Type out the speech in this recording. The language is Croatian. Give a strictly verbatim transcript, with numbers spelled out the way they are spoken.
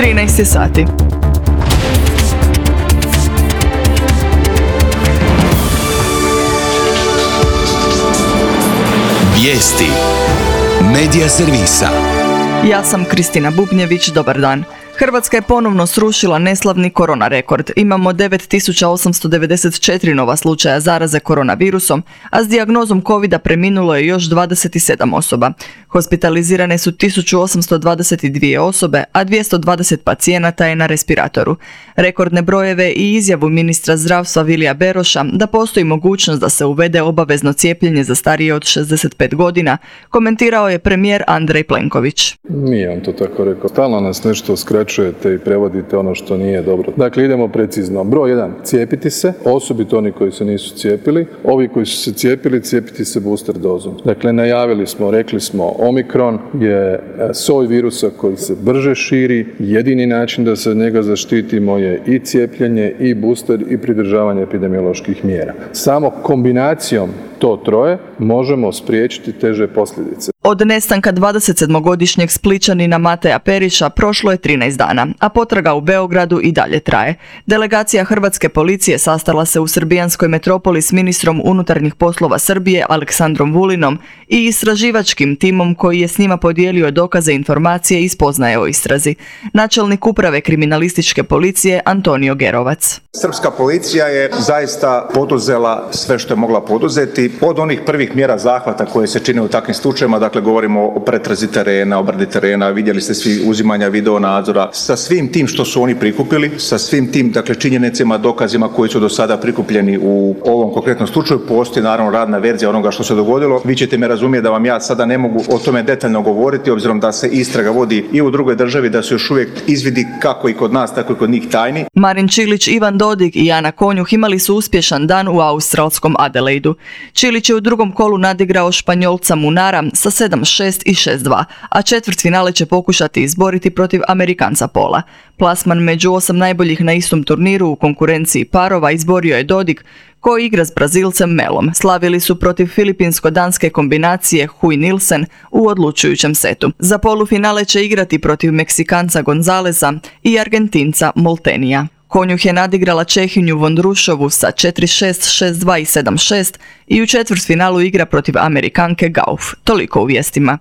trinaest je sati. Vijesti Medija servisa. Ja sam Kristina Bubnjević, dobar dan. Hrvatska je ponovno srušila neslavni korona rekord. Imamo devet tisuća osamsto devedeset četiri nova slučaja zaraze koronavirusom, a s dijagnozom covida preminulo je još dvadeset sedam osoba. Hospitalizirane su tisuću osamsto dvadeset dvije osobe, a dvjesto dvadeset pacijenata je na respiratoru. Rekordne brojeve i izjavu ministra zdravstva Vilija Beroša da postoji mogućnost da se uvede obavezno cijepljenje za starije od šezdeset pet godina, komentirao je premijer Andrej Plenković. Nije on to tako rekao. Stalno nas nešto skraćujete i prevodite ono što nije dobro. Dakle, idemo precizno. Broj jedan, cijepiti se, osobito oni koji se nisu cijepili. Ovi koji su se cijepili, cijepiti se booster dozom. Dakle, najavili smo, rekli smo, Omikron je soj virusa koji se brže širi. Jedini način da se od njega zaštitimo je i cijepljenje, i booster, i pridržavanje epidemioloških mjera. Samo kombinacijom to troje možemo spriječiti teže posljedice. Od nestanka dvadesetsedmogodišnjeg Splićanina Mateja Perića prošlo je trinaest dana, a potraga u Beogradu i dalje traje. Delegacija hrvatske policije sastala se u srbijanskoj metropoli s ministrom unutarnjih poslova Srbije Aleksandrom Vulinom i istraživačkim timom koji je s njima podijelio dokaze, informacije i spoznaje o istrazi. Načelnik uprave kriminalističke policije Antonio Gerovac. Srpska policija je zaista poduzela sve što je mogla poduzeti. Od onih prvih mjera zahvata koje se čine u takvim slučajevima, dakle govorimo o pretrazi terena, obradi terena, vidjeli ste svi uzimanja video nadzora, sa svim tim što su oni prikupili, sa svim tim dakle činjenicama, dokazima koji su do sada prikupljeni u ovom konkretnom slučaju, postoji naravno radna verzija onoga što se dogodilo. Vi ćete me razumjeti da vam ja sada ne mogu o tome detaljno govoriti, obzirom da se istraga vodi i u drugoj državi, da su još uvijek izvidi kako i kod nas, tako i kod njih tajni. Marin Čilić, Ivan Dodig i Ana Konjuh imali su uspješan dan u australskom Adelaidu. Čilić je u drugom kolu nadigrao Španjolca Munara sa sedam šest i šest dva, a četvrtfinale će pokušati izboriti protiv Amerikanca Pola. Plasman među osam najboljih na istom turniru u konkurenciji parova izborio je Dodig, koji igra s Brazilcem Melom. Slavili su protiv filipinsko-danske kombinacije Hui Nilsen u odlučujućem setu. Za polufinale će igrati protiv Meksikanca Gonzaleza i Argentinca Moltenija. Konjuh je nadigrala Čehinju Vondrušovu sa četiri šest, šest dva i sedam šest i u četvrtfinalu igra protiv Amerikanke Gauff. Toliko u vijestima.